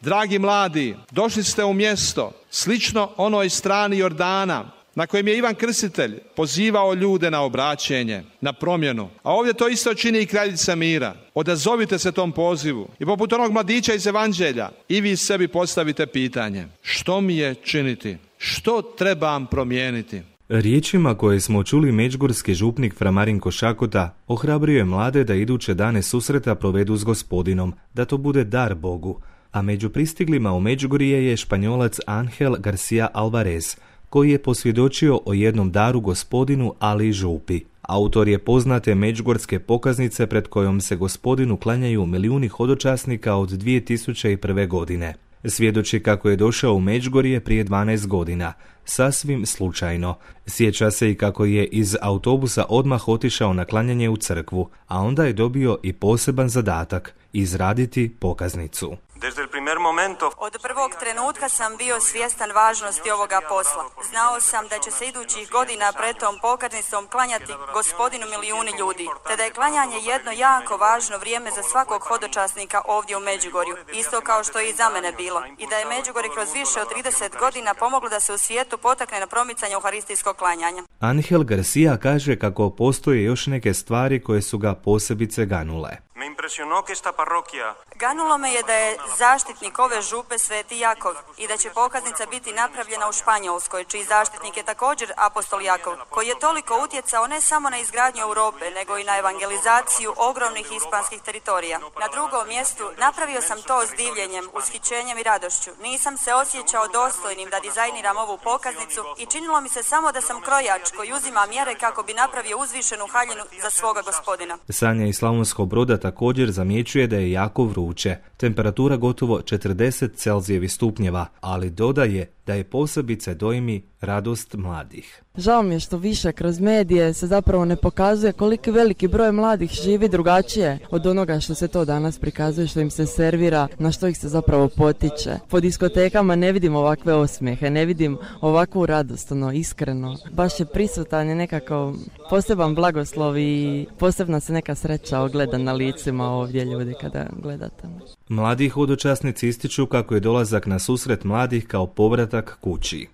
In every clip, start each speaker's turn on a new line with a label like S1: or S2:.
S1: Dragi mladi, došli ste u mjesto slično onoj strani Jordana na kojem je Ivan Krstitelj pozivao ljude na obraćenje, na promjenu. A ovdje to isto čini i kraljica mira. Odazovite se tom pozivu i poput onog mladića iz Evanđelja i vi sebi postavite pitanje: što mi je činiti? Što trebam promijeniti?
S2: Riječima koje smo čuli međugorski župnik fra Marinko Šakota ohrabrio je mlade da iduće dane susreta provedu s Gospodinom, da to bude dar Bogu. A među pristiglima u Međugorje je Španjolac Angel Garcia Alvarez, koji je posvjedočio o jednom daru Gospodinu, ali i župi. Autor je poznate međugorske pokaznice pred kojom se Gospodinu klanjaju milijuni hodočasnika od 2001. godine. Svjedoči kako je došao u Međugorje prije 12 godina, sasvim slučajno. Sjeća se i kako je iz autobusa odmah otišao na klanjanje u crkvu, a onda je dobio i poseban zadatak – izraditi pokaznicu.
S3: Od prvog trenutka sam bio svjestan važnosti ovoga posla. Znao sam da će se idućih godina pred tom pokaznicom klanjati Gospodinu milijuni ljudi, te da je klanjanje jedno jako važno vrijeme za svakog hodočasnika ovdje u Međugorju, isto kao što je i za mene bilo, i da je Međugorje kroz više od 30 godina pomoglo da se u svijetu potakne na promicanje euharistijskog klanjanja.
S2: Angel Garcia kaže kako postoje još neke stvari koje su ga posebice ganule.
S3: Ganulo me je da je zaštitnik ove župe Sveti Jakov i da će pokaznica biti napravljena u Španjolskoj, čiji zaštitnik je također apostol Jakov, koji je toliko utjecao ne samo na izgradnju Europe, nego i na evangelizaciju ogromnih hispanskih teritorija. Na drugom mjestu napravio sam to s divljenjem, ushićenjem i radošću. Nisam se osjećao dostojnim da dizajniram ovu pokaznicu i činilo mi se samo da sam krojač koji uzima mjere kako bi napravio uzvišenu haljinu za svoga Gospodina.
S2: Sanja iz Slavonskog Broda također zamjećuje da je jako vruće, temperatura gotovo 40 Celzijevih stupnjeva, ali dodaje da je posebice dojmi radost mladih.
S4: Žao mi je što više kroz medije se zapravo ne pokazuje koliki veliki broj mladih živi drugačije od onoga što se to danas prikazuje, što im se servira, na što ih se zapravo potiče. Po diskotekama ne vidim ovakve osmijehe, ne vidim ovakvu radost, iskreno. Baš je prisutan je nekako poseban blagoslov i posebna se neka sreća ogleda na licima ovdje ljudi kada gledate.
S2: Mladi hodočasnici ističu kako je dolazak na susret mladih kao povratak kući.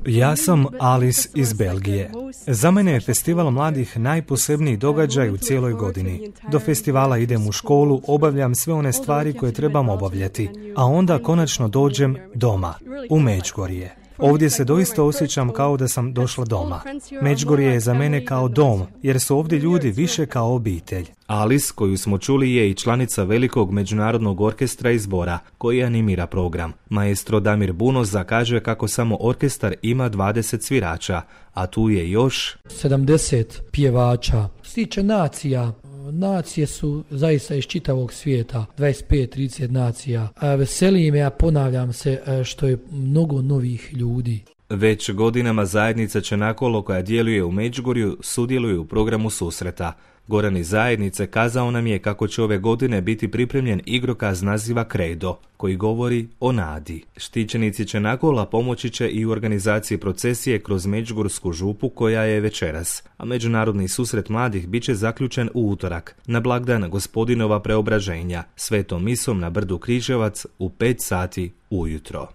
S5: Ja sam Alice iz Belgije. Za mene je festival mladih najposebniji događaj u cijeloj godini. Do festivala idem u školu, obavljam sve one stvari koje trebam obavljati, a onda konačno dođem doma, u Međugorje. Ovdje se doista osjećam kao da sam došla doma. Međugorje je za mene kao dom, jer su ovdje ljudi više kao obitelj.
S2: Alice, koju smo čuli, je i članica velikog međunarodnog orkestra i zbora, koji animira program. Maestro Damir Bunoza kaže kako samo orkestar ima 20 svirača, a tu je još
S6: 70 pjevača. Što se tiče nacija, nacije su zaista iz čitavog svijeta, 25-30 nacija. Veseli me, a ponavljam se, što je mnogo novih ljudi.
S2: Već godinama zajednica Čenakolo, koja djeluje u Međugorju, sudjeluje u programu susreta. Goran iz zajednice kazao nam je kako će ove godine biti pripremljen igrokaz naziva Credo, koji govori o nadi. Štićenici Čenakola pomoći će i u organizaciji procesije kroz Međugorsku župu koja je večeras, a međunarodni susret mladih bit će zaključen u utorak, na blagdan Gospodinova preobraženja, svetom misom na brdu Križevac u 5 sati ujutro.